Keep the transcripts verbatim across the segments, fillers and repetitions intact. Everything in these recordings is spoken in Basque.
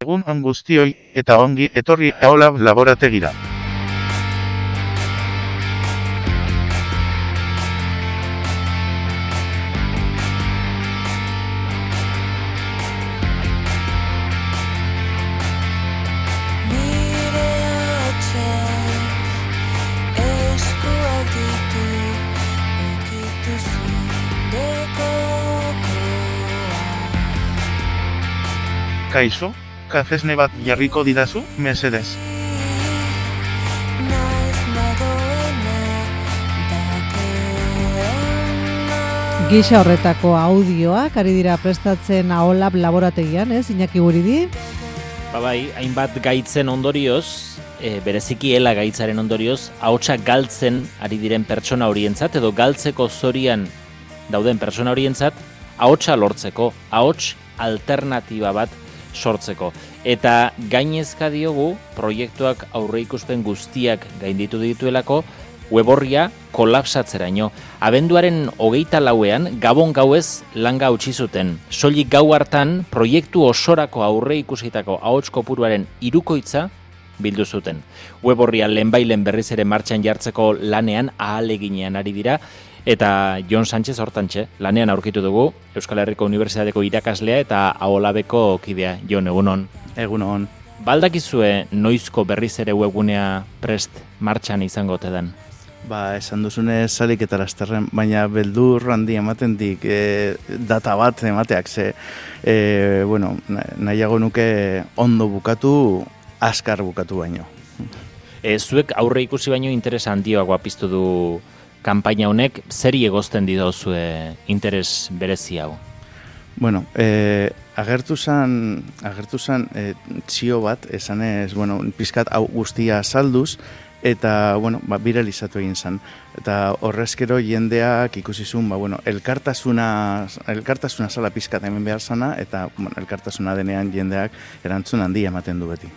Egun on guztioi eta ongi etorri Aolab laborategira. Kaixo, kafesne bat jarriko didazu, mesedez. Gisa horretako audioak ari dira prestatzen Aolab laborategian, ez, Iñaki Guridi? Ba bai, hainbat gaitzen ondorioz, e, bereziki ela gaitzaren ondorioz, ahotsa galtzen ari diren pertsona horientzat, edo galtzeko zorian dauden pertsona horientzat, ahotsa lortzeko, ahots alternatiba bat sortzeko. Eta gainezka diogu proiektuak aurreikuspen guztiak gainditu dituelako web orria kolapsatzeraino. Abenduaren hogeita lauean gabon gauez langa utzi zuten. Soilik gau hartan proiektu osorako aurreikusitako ahots kopuruaren hirukoitza bildu zuten. Web orria lehenbailen berriz ere martxan jartzeko lanean ahaleginean ari dira. Eta Jon Sánchez hortantxe, lanean aurkitu dugu, Euskal Herriko Unibertsitateko irakaslea eta Aolabeko kidea. Jon, egunon. Egunon. Baldakizue noizko berriz ere webgunea prest martxan izango tedan? Ba, esan duzune salik eta lasterren, baina beldur handi ematen dik e, data bat emateak, ze, e, bueno, nahiago nuke ondo bukatu, azkar bukatu baino. E, zuek aurre ikusi baino interesa handioagoa piztu du kanpaina honek, zeri egozten didozue interes berezi hau? Bueno, eh, agertu zan, agertu zan eh, txio bat, esanez, bueno, pizkat hau guztia salduz, eta, bueno, ba, viralizatu egin zan. Eta horrezkero jendeak ikusi zuen, ba, bueno, elkartasuna, elkartasuna zala pizkat hemen behar zana, eta, bueno, elkartasuna denean jendeak erantzun handia ematen du beti.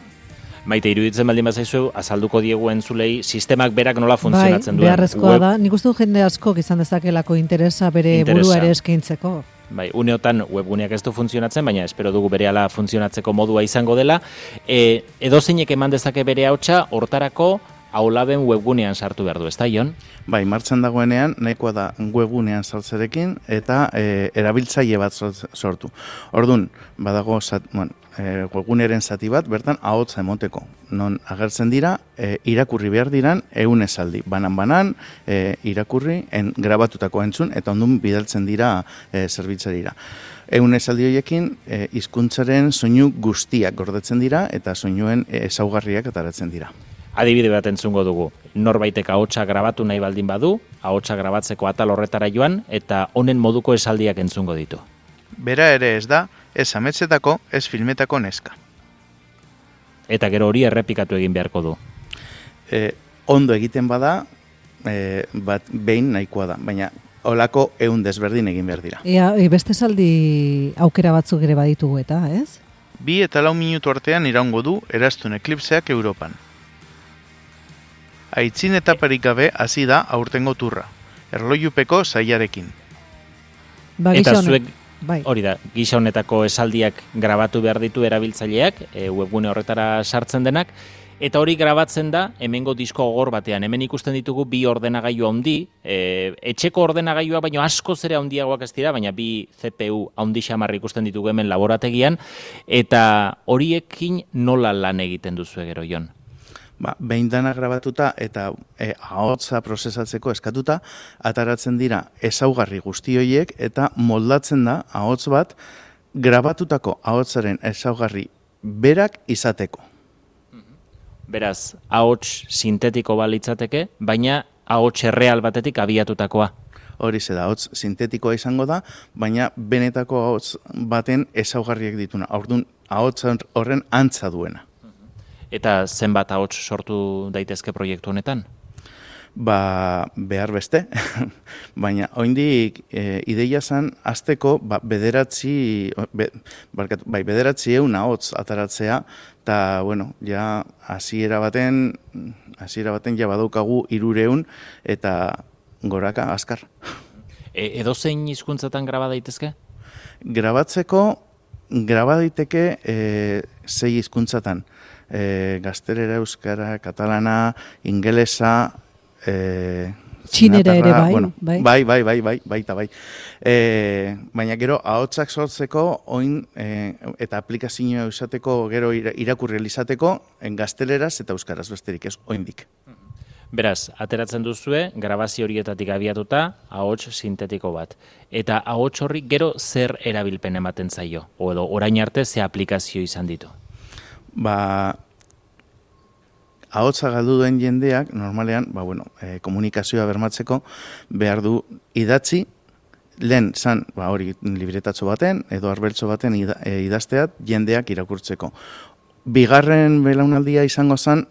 Maite, iruditzen baldin bazaizu, azalduko diegu entzulei, sistemak berak nola funtzionatzen bai, duen. Beharrezkoa web... da, nik uste du jende asko izan dezakelako interesa bere interesa. Burua ere eskaintzeko. Bai, uneotan webguneak ez du funtzionatzen, baina espero dugu berehala funtzionatzeko modua izango dela. E, edozeinek eman dezake bere hautsa, hortarako Aolaben webgunean sartu behar du, ez da, Jon? Bai, martxan dagoenean, nahikoa da webgunean saltzerekin eta e, erabiltzaile bat sortu. Orduan, badago, zat, bueno, e, webguneren zati bat, bertan ahotsa emoteko. Non agertzen dira, e, irakurri behar diran, ehun esaldi. Banan-banan, e, irakurri, en, grabatutako entzun, eta ondun bidaltzen dira e, zerbitzarira. Ehun esaldi horiekin, e, hizkuntzaren soinu guztiak gordetzen dira, eta soinuen ezaugarriak ataratzen dira. Adibide bat entzungo dugu. Norbaitek ahotsa grabatu nahi baldin badu, ahotsa grabatzeko atal horretara joan, eta honen moduko esaldiak entzungo ditu. Bera ere ez da, ez ametsetako, ez filmetako neska. Eta gero hori errepikatu egin beharko du. E, ondo egiten bada, e, bat behin nahikoa da, baina holako ehun desberdin egin behar dira. Ea, beste esaldi aukera batzuk ere baditugu eta, ez? Bi eta lau minutu artean iraungo du eraztun eklipseak Europan. Aitzin etaparik gabe hasi da aurtengo turra, erlojupeko saiarekin. Ba, eta zuek, bai. Hori da, gisa honetako esaldiak grabatu behar ditu erabiltzaileak, e, webgune horretara sartzen denak, eta hori grabatzen da hemengo disko gogor batean. Hemen ikusten ditugu bi ordenagailu handi, e, etxeko ordenagailua baino askoz ere handiagoak ez dira, baina bi C P U handi xamar ikusten ditugu hemen laborategian, eta horiekin nola lan egiten duzu gero, Jon? Ba, behin dana grabatuta eta e, ahotsa prozesatzeko eskatuta, ataratzen dira ezaugarri guzti horiek eta moldatzen da ahots bat grabatutako ahotsaren ezaugarri berak izateko. Beraz, ahots sintetiko balitzateke, baina ahots erreal batetik abiatutakoa. Hori ze da, ahots sintetikoa izango da, baina benetako ahots baten ezaugarriak dituna. Orduan, ahots horren antza duena. Eta zenbat ahots sortu daitezke proiektu honetan? Ba, behar beste, baina oraindik e, ideia zen hasteko ba, bederatzi, be, barkatu, bai, bederatzi ehun ahots ataratzea, eta, bueno, ja, hasiera baten, hasiera baten ja badaukagu hirurehun eta goraka azkar. E, edozein hizkuntzatan graba daitezke? Grabatzeko graba daiteke e, sei hizkuntzatan. E, gaztelera, euskara, katalana, ingelesa, e, txinera ere bai, bueno, bai, bai, bai, bai, bai, baita bai. E, baina gero, ahotsak sortzeko, oin, e, eta aplikazioa izateko, gero irakurri izateko, gazteleraz eta euskaraz besterik ez, oindik. Beraz, ateratzen duzue, grabazio horietatik abiatuta, ahots sintetiko bat. Eta ahots horri gero zer erabilpen ematen zaio? O edo, orain arte ze aplikazio izan ditu? Ba, ahotsa galdu duen jendeak, normalean, ba, bueno, e, komunikazioa bermatzeko, behar du idatzi, lehen zan, ba, hori libretatxo baten, edo arbeltxo baten ida, e, idazteat, jendeak irakurtzeko. Bigarren belaunaldia izango zen,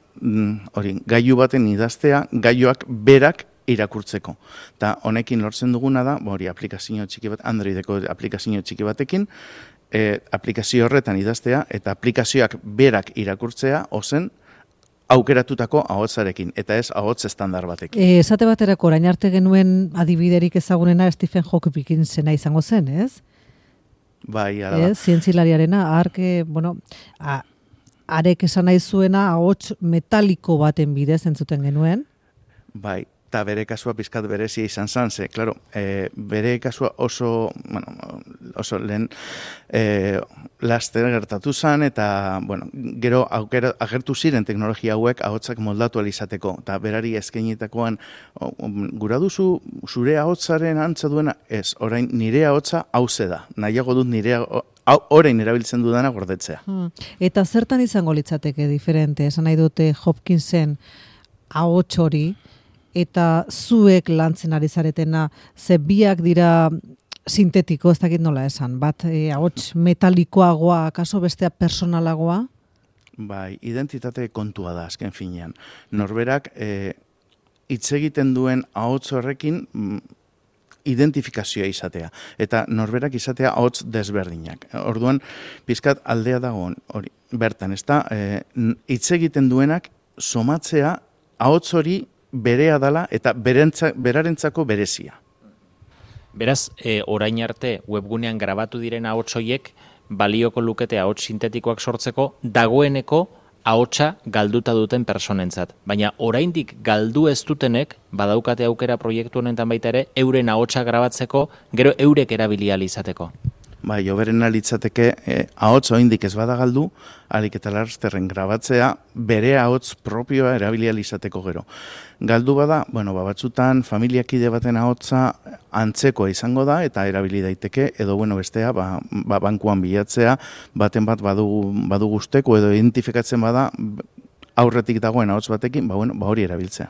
hori, gailu baten idaztea, gailuak berak irakurtzeko. Eta honekin lortzen duguna da, hori aplikazio txiki bat, Androideko aplikazio txiki batekin, e, aplikazio horretan idaztea, eta aplikazioak berak irakurtzea, ozen, aukeratutako ahotsarekin, eta ez ahots estandar batekin. E, esate baterako, orain arte genuen adibiderik ezagunena Stephen Hawking zena izango zen, ez? Bai, ara da. Ez, zientzilariarena, arke, bueno, a, arek esan nahi zuena ahots metaliko baten bidez entzuten genuen. Bai, eta bere kasua pizkat berezia izan zan, ze, klaro, e, bere kasua oso, bueno, oso lehen e, laster gertatu zan, eta, bueno, gero aukera, agertu ziren teknologia hauek ahotsak moldatu alizateko, eta berari eskainitakoan, gura duzu zure ahotsaren antza duena, ez, orain nire ahotsa hauze da, nahiago dut nire orain erabiltzen dudana gordetzea. Hmm. Eta zertan izango litzateke diferente, esan nahi dute Hopkinsen ahots hori, eta zuek lantzen ari zaretena, ze biak dira sintetiko, ez dakit nola esan, bat e, ahots metalikoagoa, kaso bestea personalagoa? Bai, identitate kontua da, azken finean. Norberak, e, hitz egiten duen ahots horrekin, identifikazioa izatea, eta norberak izatea ahots desberdinak. Orduan, pizkat aldea dago hori, bertan, ez da, hitz egiten duenak somatzea ahots hori berea dala eta berentza, berarentzako berezia. Beraz, e, orain arte webgunean grabatu diren ahots horiek balioko lukete ahots sintetikoak sortzeko dagoeneko ahotsa galduta duten personentzat. Baina oraindik galdu ez dutenek badaukate aukera proiektu honetan baita ere euren ahotsa grabatzeko, gero eurek erabili ahal izateko. Bai, hoberena litzateke eh, ahots oraindik ez bada galdu, ahalik eta lasterren grabatzea bere ahots propioa erabili ahal izateko gero. Galdu bada, bueno, ba, batzutan familiakide baten ahotsa antzekoa izango da eta erabili daiteke, edo bueno, bestea, ba, ba, bankuan bilatzea, baten bat badu, badu guzteko edo identifikatzen bada aurretik dagoen ahots batekin, ba, bueno, ba hori erabiltzea.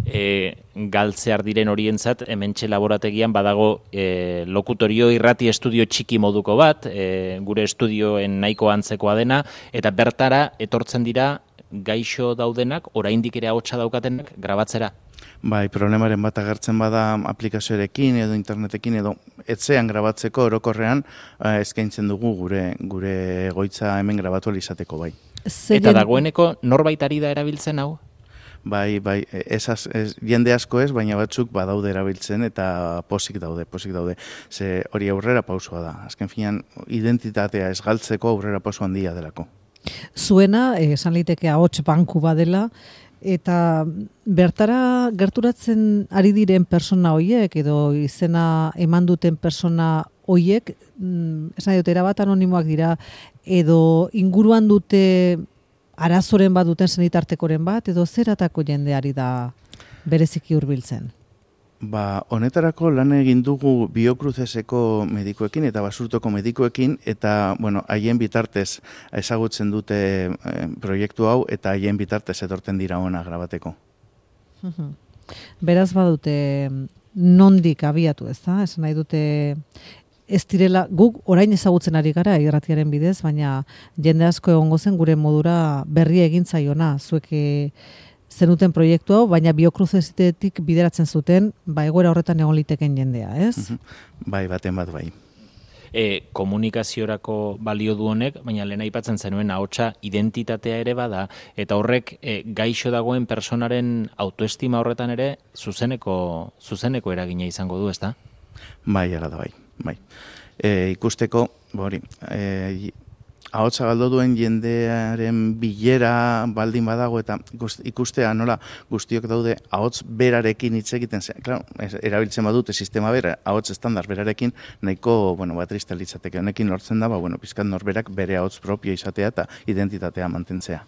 E, galtzear diren horientzat, hementxe laborategian badago e, lokutorio irrati estudio txiki moduko bat, e, gure estudioen nahiko antzekoa dena, eta bertara etortzen dira gaixo daudenak, oraindik ere ahotsa daukatenak grabatzera. Bai, problemaren bat agertzen bada aplikazioarekin edo internetekin edo etxean grabatzeko orokorrean eh, eskaintzen dugu gure gure egoitza hemen grabatu izateko bai. Zegen... Eta dagoeneko norbait ari da erabiltzen hau? Bai, bai, esaz, ez, jende asko ez, baina batzuk badaude erabiltzen eta posik daude, posik daude. Ze hori aurrera pausua da. Azken finean, identitatea ez galtzeko aurrera pausu handia delako. Zuena, esan liteke ahots banku badela, eta bertara gerturatzen ari diren persona hoiek, edo izena eman duten persona hoiek, esan dut, erabat anonimoak dira, edo inguruan dute arazoren bat duten senitartekoren bat, edo zeratako jendeari da bereziki hurbiltzen? Ba, honetarako lan egin dugu Biocruceseko medikuekin eta Basurtoko medikuekin, eta, bueno, haien bitartez ezagutzen dute eh, proiektu hau, eta haien bitartez etorten dira ona grabateko. Beraz badute nondik abiatu, ez da? Esan nahi dute ez direla, guk orain ezagutzen ari gara irratiaren bidez, baina jende asko egongo zen gure modura berria egin zaiona, zuek zenuten proiektu hau, baina Biocrucesetik bideratzen zuten, ba egoera horretan egon liteken jendea, ez? Bai, baten bat bai. E, komunikaziorako balio du honek, baina lehen aipatzen zenuen ahotsa identitatea ere bada, eta horrek e, gaixo dagoen personaren autoestima horretan ere zuzeneko, zuzeneko eragina izango du, ezta? Bai, ala da bai. Bai. E, ikusteko, Hori, e, ahotsa galdu duen jendearen bilera baldin badago eta ikustea nola guztiok daude ahots berarekin hitz egiten zen. Claro, erabiltzen badute sistema bera, ahots estandar berarekin nahiko, bueno, bat tristea litzateke. Honekin lortzen da, ba, bueno, pizkat norberak bere ahots propio izatea eta identitatea mantentzea.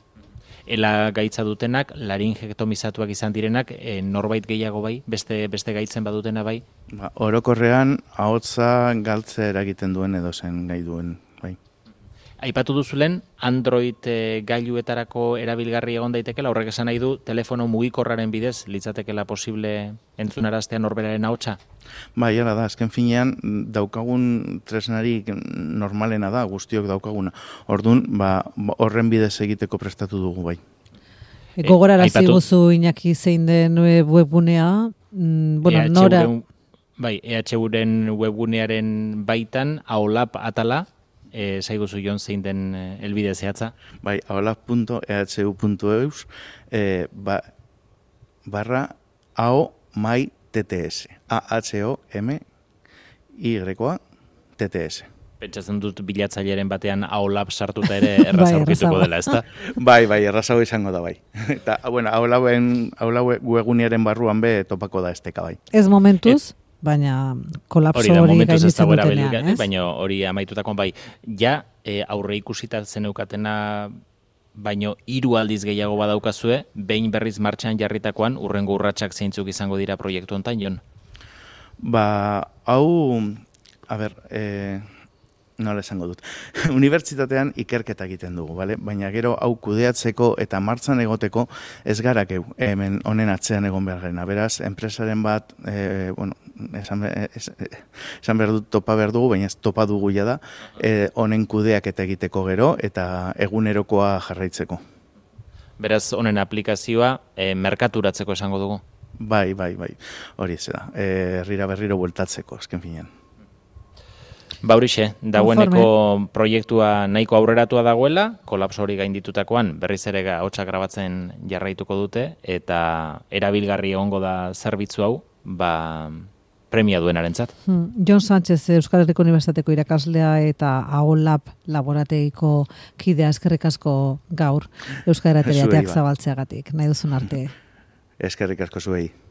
Ela gaitza dutenak, laringektomizatuak izan direnak, e, norbait gehiago bai, beste beste gaitzen badutena bai? Ba, orokorrean ahotsa galtzea eragiten duen edo zen gai duen. Aipatu duzulen, Android e, gailuetarako erabilgarri egon daitekela, horrek esan nahi du, telefono mugikorraren bidez, litzatekela posible entzunaraztea norberaren ahotsa? Bai, hala da, azken finean, daukagun tresnari normalena da, guztiok daukaguna. Orduan, ba, horren bidez egiteko prestatu dugu bai. E, Gogorarazi guzu Iñaki zein den webgunea, mm, bueno, E H U nora... Bai, E H U-ren webgunearen baitan, aolap atala, E, zaiguzu jon zein den e, elbide zehatza? Bai, aolap puntu e h u puntu e u e, ba, barra ao mai tts. A H O M Y-a T T S. Pentsatzen dut bilatzaileren batean aolap sartuta ere erraza Bai, aurkituko errazago. dela, ezta? Bai, bai, errazago izango da bai. Eta, bueno, aulauen, aulaue webgunearen barruan be topako da esteka bai. Ez momentuz, baina kolapso Hori da, hori momentuz ez gainditzen dago dutenean, erabilgarri, ez? baina hori amaitutakoan bai. Ja, e, aurre ikusita zeneukatena baino hiru aldiz gehiago badaukazue, behin berriz martxan jarritakoan, urrengo urratsak zeintzuk izango dira proiektu hontan, Jon? Ba, hau, a ber, e, nola esango dut. Unibertsitatean ikerketa egiten dugu, bale? Baina gero hau kudeatzeko eta martzan egoteko ez gara geu, hemen honen atzean egon behar garena. Beraz, enpresaren bat, e, bueno, esan, es, esan behar dut topa behar dugu, baina ez topa dugu ja da, e, honen kudeaketa egiteko gero eta egunerokoa jarraitzeko. Beraz, honen aplikazioa e, merkaturatzeko esango dugu? Bai, bai, bai, hori ez da. E, herrira berriro bueltatzeko, azken finean. Ba horixe, dagoeneko proiektua nahiko aurreratua dagoela, kolapso hori gainditutakoan berriz ere ahotsa grabatzen jarraituko dute, eta erabilgarri egongo da zerbitzu hau, ba, premia duenarentzat. Hmm. Jon Sánchez, Euskal Herriko Unibertsitateko irakaslea eta aolap laborategiko kidea, eskerrik asko gaur Euskal Herriko zabaltzeagatik, nahi duzun arte. Eskerrik asko zuei.